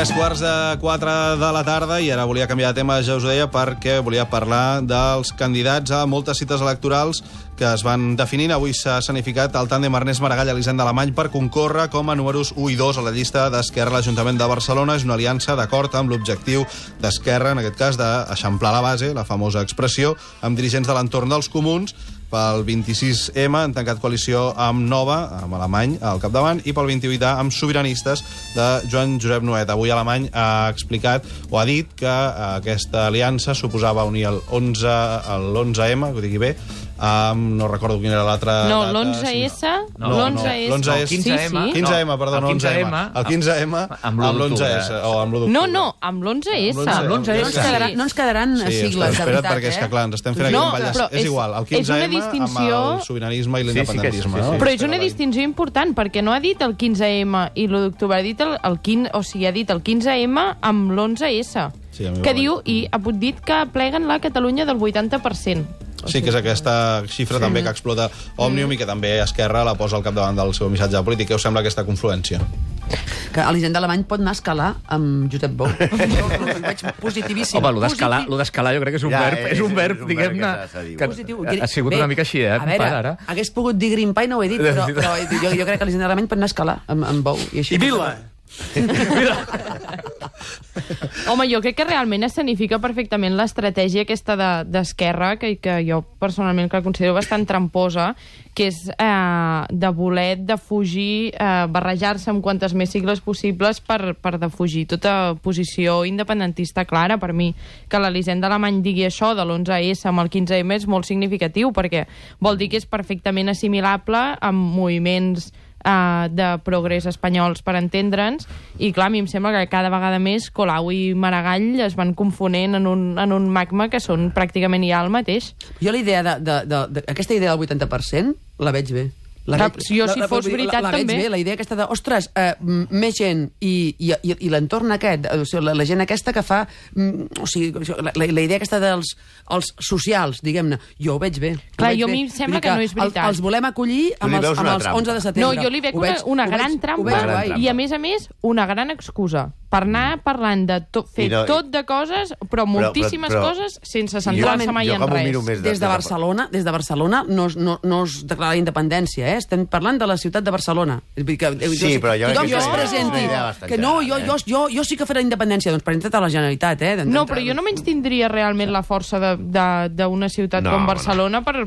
3:45 de la tarda i ara volia canviar de tema, ja us ho deia, perquè volia parlar dels candidats a moltes cites electorals que es van definint. Avui s'ha escenificat el tàndem Ernest Maragall-Elisenda Alemany per concórrer com a números 1 i 2 a la llista d'Esquerra a l'Ajuntament de Barcelona. És una aliança d'acord amb l'objectiu d'Esquerra, en aquest cas, d'eixamplar la base, la famosa expressió, amb dirigents de l'entorn dels comuns. Pel 26M han tancat coalició amb Nova, amb Alemany al capdavant, i pel 28A amb Sobiranistes de Joan Josep Nuet. Avui Alemany ha explicat o ha dit que aquesta aliança suposava unir l'11M, que ho digui bé, no recordo quina era l'altra no, data. L'11S. No, l'11S. Sí, sí. 15M, perdó, no 11M. El 15M amb l'11S. Amb l'1 d'octubre. No, amb l'11S. No ens quedaran sigles, de veritat, perquè és que, clar, ens estem fent aquí un ball. És igual, el 15M amb el sobiranisme i l'independentisme. Però és una distinció important, perquè no ha dit el 15M i l'1 d'octubre, ha dit el 15M amb l'11S, que diu, i ha dit que pleguen la Catalunya del 80%. Sí, que és aquesta xifra també que explota Òmnium i que també Esquerra la posa al capdavant del seu missatge polític. Què us sembla aquesta confluència? Que Elisenda Alemany pot anar a escalar amb Josep Bou. Ho veig positivíssim. Home, lo d'escalar jo crec que és un verb, diguem-ne, que ha sigut una mica així, A veure, hagués pogut dir Grimpa i no ho he dit, però jo crec que Elisenda Alemany pot anar a escalar amb Bou. I Vila! Home, jo crec que realment escenifica perfectament l'estratègia aquesta d'Esquerra, que jo personalment la considero bastant tramposa, que és de voler defugir, barrejar-se amb quantes més sigles possibles per defugir tota posició independentista clara. Per mi, que l'Elisenda Alemany digui això de l'11S amb el 15M és molt significatiu, perquè vol dir que és perfectament assimilable amb moviments de progrés espanyols, per entendre'ns, i clar, a mi em sembla que cada vegada més Colau i Maragall es van confonent en un magma que són pràcticament ja el mateix. Jo la idea aquesta idea del 80% la veig bé. Si fos veritat, la veig també. bé, la idea aquesta de, ostres, més gent i l'entorn aquest, la gent aquesta que fa, o sigui, la idea aquesta dels socials, diguem-ne, jo ho veig bé. Clar, jo a mi em sembla que no és veritat. Els volem acollir amb els 11 de setembre. No, jo li veig una gran trampa i, a més, una gran excusa per anar parlant de fer tot de coses, però moltíssimes coses, sense centrar-se mai en res. Des de Barcelona no es declara la independència, estem parlant de la ciutat de Barcelona. Sí, però jo crec que es presenti que no, jo sí que faré la independència, doncs presenta't a la Generalitat. No, però jo no menys tindria realment la força d'una ciutat com Barcelona per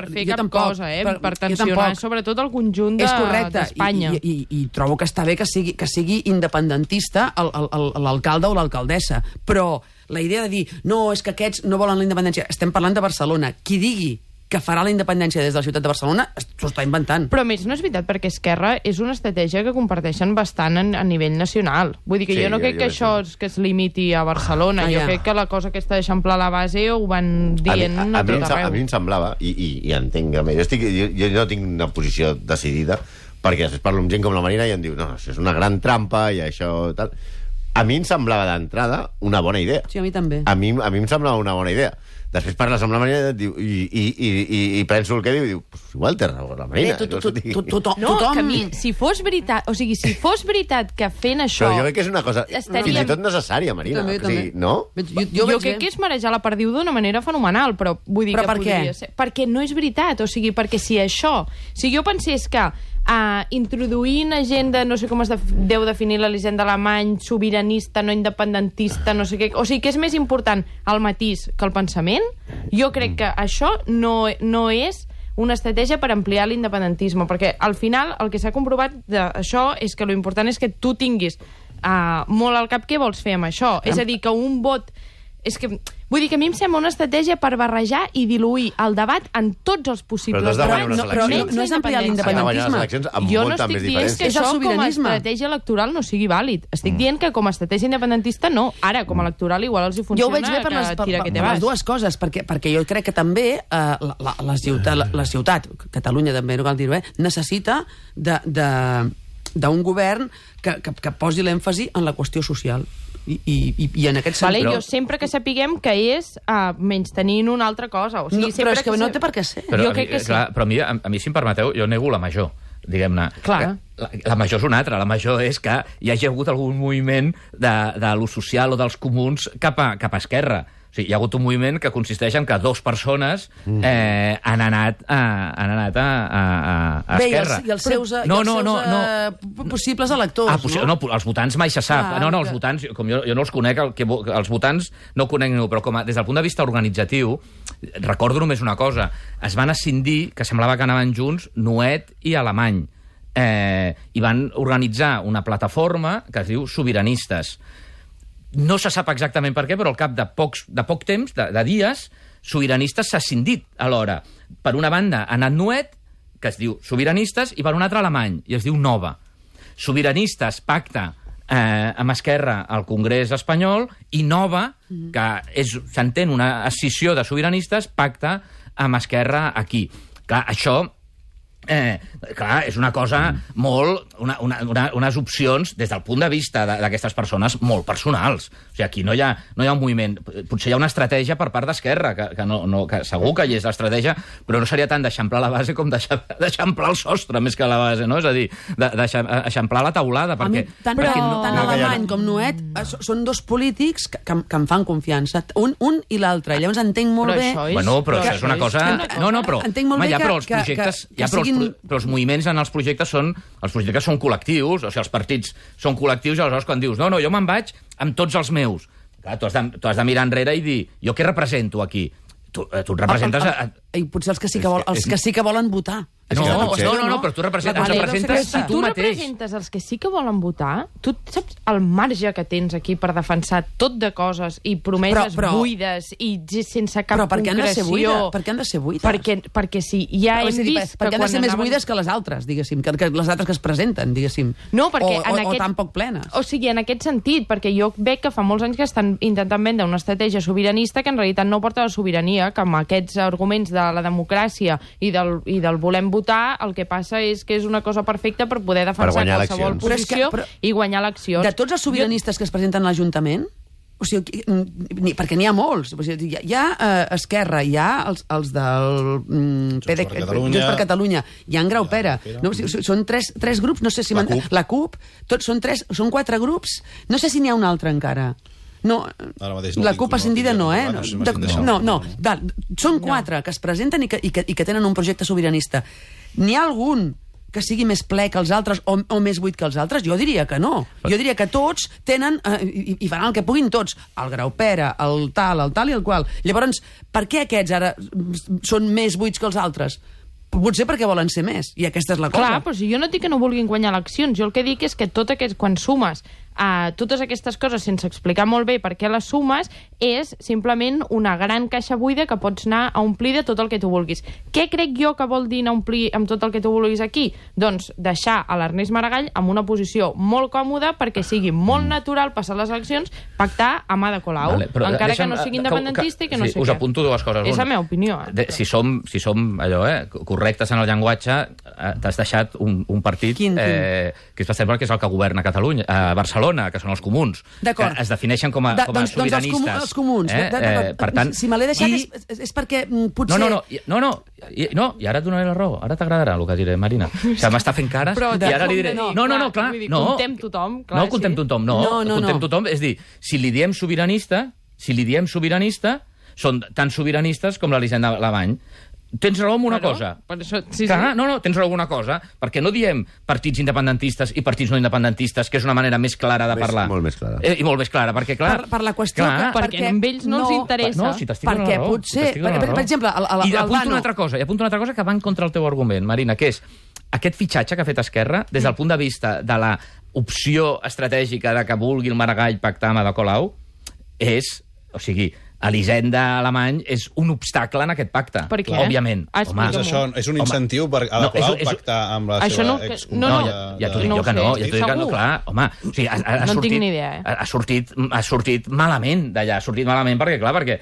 fer cap cosa, per tensionar sobretot el conjunt d'Espanya. I trobo que està bé que sigui independentista l'alcalde o l'alcaldessa, però la idea de dir, no, és que aquests no volen la independència, estem parlant de Barcelona, qui digui que farà la independència des de la ciutat de Barcelona s'ho està inventant. Però a més no és veritat, perquè Esquerra és una estratègia que comparteixen bastant a nivell nacional. Vull dir que jo no crec que això es limiti a Barcelona. Jo crec que la cosa aquesta d'eixamplar la base ho van dient a tot arreu. A mi em semblava, i entenc, jo no tinc una posició decidida, perquè després parlo amb gent com la Marina i em diu, no, això és una gran trampa i això tal. A mi em semblava d'entrada una bona idea. Sí, a mi també. A mi em semblava una bona idea. Després parles amb la Marina i penso el que diu i diu, igual té raó la Marina. No, que a mi, si fos veritat que fent això... Però jo crec que és una cosa fins i tot necessària, Marina. No? Jo crec que és marejar la perdiu d'una manera fenomenal, però vull dir que podria ser. Perquè no és veritat, o sigui, perquè si jo pensés que introduir una agenda, no sé com es deu definir l'Elisenda Alemany, sobiranista, no independentista, no sé què, o sigui que és més important el matís que el pensament, jo crec que això no és una estratègia per ampliar l'independentisme, perquè al final el que s'ha comprovat d'això és que l'important és que tu tinguis molt al cap què vols fer amb això, és a dir, que un vot... Vull dir que a mi em sembla una estratègia per barrejar i diluir el debat en tots els possibles debats. Però no és ampliar l'independentisme. Jo no estic dient que això com a estratègia electoral no sigui vàlid. Estic dient que com a estratègia independentista no. Ara, com a electoral, igual els hi funciona. Jo ho veig bé per les dues coses, perquè jo crec que també la ciutat, Catalunya també, no cal dir-ho, necessita d'un govern que posi l'èmfasi en la qüestió social. I en aquest sentit... Jo sempre que sapiguem que és menystenint una altra cosa. O sigui, però és que no té per què ser. Però a mi, si em permeteu, jo nego la major. diguem-ne. La major és una altra. La major és que hi hagi hagut algun moviment de lo social o dels comuns cap a Esquerra. O sigui, hi ha hagut un moviment que consisteix en que 2 persones han anat a Esquerra. I els seus possibles electors, no? No, els votants mai se sap. No, els votants, com jo no els conec, els votants no conec ningú, però des del punt de vista organitzatiu, recordo només una cosa. Es van escindir, que semblava que anaven junts, Nuet i Alemany. I van organitzar una plataforma que es diu Sobiranistes. No se sap exactament per què, però al cap de poc temps, de dies, Sobiranistes s'ha escindit alhora. Per una banda ha anat Nuet, que es diu Sobiranistes, i per una altra Alemany, i es diu Nova. Sobiranistes pacta amb Esquerra al Congrés espanyol, i Nova, que s'entén una escissió de sobiranistes, pacta amb Esquerra aquí. Clar, això és una cosa molt... unes opcions, des del punt de vista d'aquestes persones, molt personals. O sigui, aquí no hi ha un moviment. Potser hi ha una estratègia per part d'Esquerra, que segur que hi és l'estratègia, però no seria tant d'eixamplar la base com d'eixamplar el sostre, més que la base, no? És a dir, d'eixamplar la teulada, perquè... Tant Alemany com Nuet són 2 polítics que em fan confiança. Un i l'altre. Llavors entenc molt bé... Bueno, però això és una cosa... No, però... Entenc molt bé però els moviments en els projectes són col·lectius, o sigui, els partits són col·lectius, i aleshores quan dius, no, jo me'n vaig amb tots els meus. Clar, tu has de mirar enrere i dir, jo què represento aquí? Tu et representes... I potser els que sí que volen votar. No, però tu representes a tu mateix. Tu representes els que sí que volen votar? Tu saps el marge que tens aquí per defensar tot de coses i promeses buides i sense cap concreció? Per què han de ser buides? Perquè si ja hem vist... Per què han de ser més buides que les altres, diguéssim, que les altres que es presenten, diguéssim? No, perquè o tan poc plenes. O sigui, en aquest sentit, perquè jo veig que fa molts anys que estan intentant vendre una estratègia sobiranista que en realitat no porta la sobirania, que amb aquests arguments de la democràcia i del volem votar, el que passa és que és una cosa perfecta per poder defensar qualsevol posició i guanyar eleccions. De tots els sobiranistes que es presenten a l'Ajuntament, o sigui, perquè n'hi ha molts, o sigui, hi ha Esquerra, hi ha els del Junts per Catalunya, hi ha en Graupera, no? O sigui, són tres grups, no sé si la CUP, són 4 grups, no sé si n'hi ha un altre encara. No, la CUP ascendida no, No, són 4 que es presenten i que tenen un projecte sobiranista. N'hi ha algun que sigui més ple que els altres o més buit que els altres? Jo diria que no. Jo diria que tots tenen, i faran el que puguin tots, el Graupera, el tal i el qual. Llavors, per què aquests ara són més buits que els altres? Potser perquè volen ser més, i aquesta és la cosa. Clar, però si jo no dic que no vulguin guanyar eleccions, jo el que dic és que quan sumes totes aquestes coses sense explicar molt bé per què les sumes, és simplement una gran caixa buida que pots anar a omplir de tot el que tu vulguis. Què crec jo que vol dir anar a omplir amb tot el que tu vulguis aquí? Doncs deixar a l'Ernest Maragall en una posició molt còmoda perquè sigui molt natural passar les eleccions, pactar amb Ada Colau, encara que no sigui independentista i que no sé què. Us apunto 2 coses. És la meva opinió. Si som allò, correctes en el llenguatge, t'has deixat un partit que és sembla que és el que governa Catalunya, a Barcelona, que són els comuns, que es defineixen com a sobiranistes. Doncs els comuns. Per tant, si me l'he deixat és perquè potser... No, i ara et donaré la raó. Ara t'agradarà el que diré, Marina. Que m'està fent cares i ara li diré... No, clar. Contem tothom. No contem tothom, contem tothom. És dir, si li diem sobiranista, són tan sobiranistes com l'Elisenda Alemany. Tens raó en una cosa. Tens raó en una cosa, perquè no diem partits independentistes i partits no independentistes, que és una manera més clara de parlar. Molt més clara. I molt més clara, perquè, clar... Per la qüestió... Perquè a ells no els interessa. No, si t'estic donant la raó. Potser... Per exemple, I apunto una altra cosa que va en contra el teu argument, Marina, que és aquest fitxatge que ha fet Esquerra, des del punt de vista de la opció estratègica de que vulgui el Maragall pactar amb Ada Colau, o sigui, Elisenda Alemany és un obstacle en aquest pacte. Per què? Òbviament. És un incentiu per Ada Colau pactar amb la seva excompanya... Ja t'ho dic jo que no. Clar, home, o sigui, no tinc ni idea. Ha sortit malament d'allà. Ha sortit malament perquè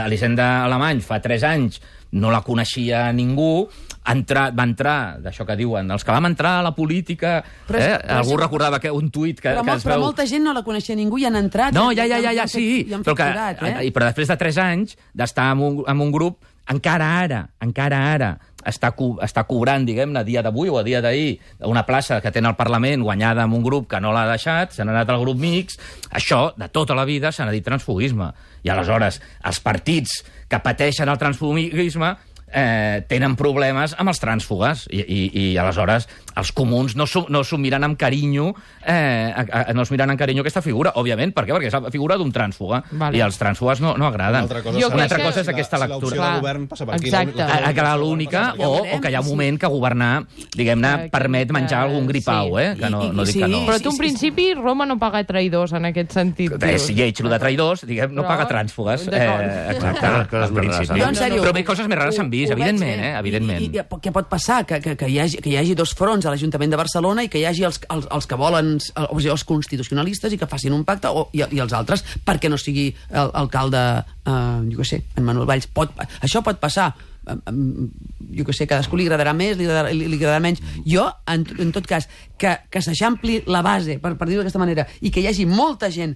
Elisenda Alemany fa 3 anys no la coneixia ningú, va entrar, d'això que diuen, els que vam entrar a la política... Algú recordava un tuit que es veu... Però molta gent no la coneixia ningú i han entrat... No, ja, sí, però després de 3 anys d'estar en un grup, encara ara, està cobrant, diguem-ne, a dia d'avui o a dia d'ahir, una plaça que té al Parlament guanyada amb un grup que no l'ha deixat, s'ha anat al grup mixt, això, de tota la vida, s'ha dit transfugisme. I aleshores, els partits que pateixen el transfugisme tenen problemes amb els trànsfugues i aleshores els comuns no s'ho miren amb carinyo aquesta figura, òbviament. Per què? Perquè és la figura d'un trànsfuga i els trànsfugues no agraden. Una altra cosa és aquesta lectura. Si l'opció de govern passa per aquí. Que l'única, o que hi ha un moment que governar, diguem-ne, permet menjar algun gripau, que no dic que no. Però tu, en principi, Roma no paga traïdors en aquest sentit. És lleig, el de traïdors, diguem, no paga trànsfugues. Exacte, en principi. Però bé, coses més rares s'han vist, evidentment. I què pot passar? Que hi hagi dos fronts a l'Ajuntament de Barcelona i que hi hagi els que volen, o sigui, els constitucionalistes, i que facin un pacte, i els altres, perquè no sigui alcalde, jo què sé, en Manuel Valls. Això pot passar. Jo què sé, cadascú li agradarà més, li agradarà menys. Jo, en tot cas, que s'eixampli la base, per dir-ho d'aquesta manera, i que hi hagi molta gent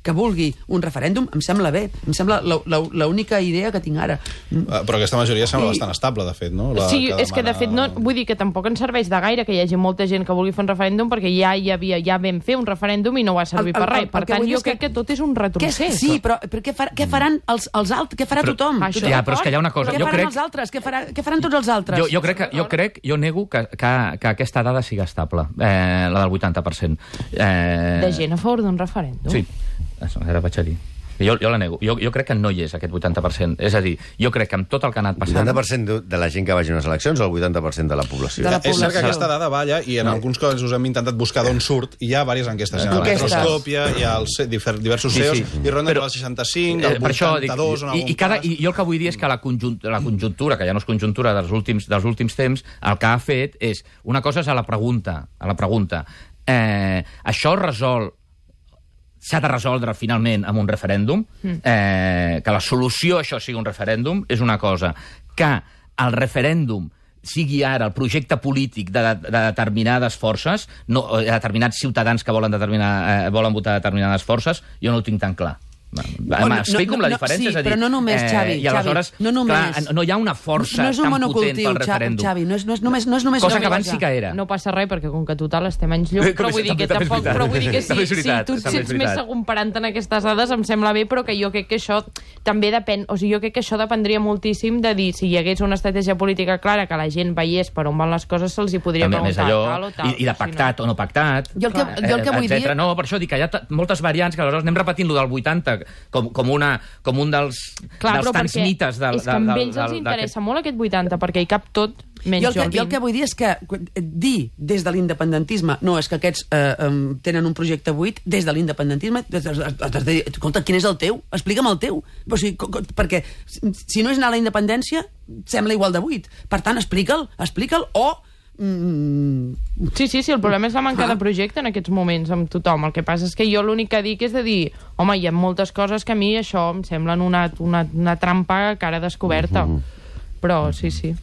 que vulgui un referèndum, em sembla bé. Em sembla l'única idea que tinc ara. Però aquesta majoria sembla bastant estable, de fet, no? Sí, és que de fet, vull dir que tampoc ens serveix de gaire que hi hagi molta gent que vulgui fer un referèndum, perquè ja vam fer un referèndum i no va servir per res. Per tant, jo crec que tot és un retrocés. Sí, però què faran els altres? Què farà tothom? Ja, però és que hi ha una cosa. Els altres? Què faran tots els altres? Jo nego que aquesta dada sigui estable, la del 80%. De gent a favor d'un referèndum? Sí, ara vaig a dir. Jo la nego. Jo crec que no hi és, aquest 80%. És a dir, jo crec que amb tot el que ha anat passant... 80% de la gent que vagi a unes eleccions o el 80% de la població? És cert que aquesta dada balla, i en alguns casos hem intentat buscar d'on surt, i hi ha diverses enquestes. Hi ha la Metroscòpia, hi ha diversos CEOs, i ronda del 65, del 82... I jo el que vull dir és que la conjuntura, que ja no és conjuntura dels últims temps, el que ha fet és... Una cosa és a la pregunta. Això s'ha de resoldre finalment amb un referèndum, que la solució a això sigui un referèndum, és una cosa. Que el referèndum sigui ara el projecte polític de determinades forces, de determinats ciutadans que volen votar determinades forces, jo no ho tinc tan clar. M'explico amb la diferència? Sí, però no només, Xavi. I aleshores, no hi ha una força tan potent pel referèndum. Xavi, no és només... Cosa que abans sí que era. No passa res, perquè com que total estem anys llum, però vull dir que tampoc... Però vull dir que si tu et sents més segur comparant-te en aquestes dades, em sembla bé, però que jo crec que això també depèn... O sigui, jo crec que això dependria moltíssim de dir, si hi hagués una estratègia política clara, que la gent veiés per on van les coses, se'ls hi podria preguntar tal o tal. I de pactat o no pactat, jo el que vull dir... No, per això dic que hi ha moltes variants, que aleshores anem repetint lo del 80 com un dels tants mites del... És que amb ells els interessa molt aquest 80, perquè hi cap tot menys jo el que vull dir és que dir des de l'independentisme no, és que aquests tenen un projecte buit, des de l'independentisme escolta, quin és el teu? Explica'm el teu. O sigui, perquè si no és anar a la independència sembla igual de buit. Per tant, explica'l o... Sí, el problema és la manca de projecte en aquests moments amb tothom. El que passa és que jo l'únic que dic és de dir, home, hi ha moltes coses que a mi això em semblen una trampa a cara descoberta. Però sí.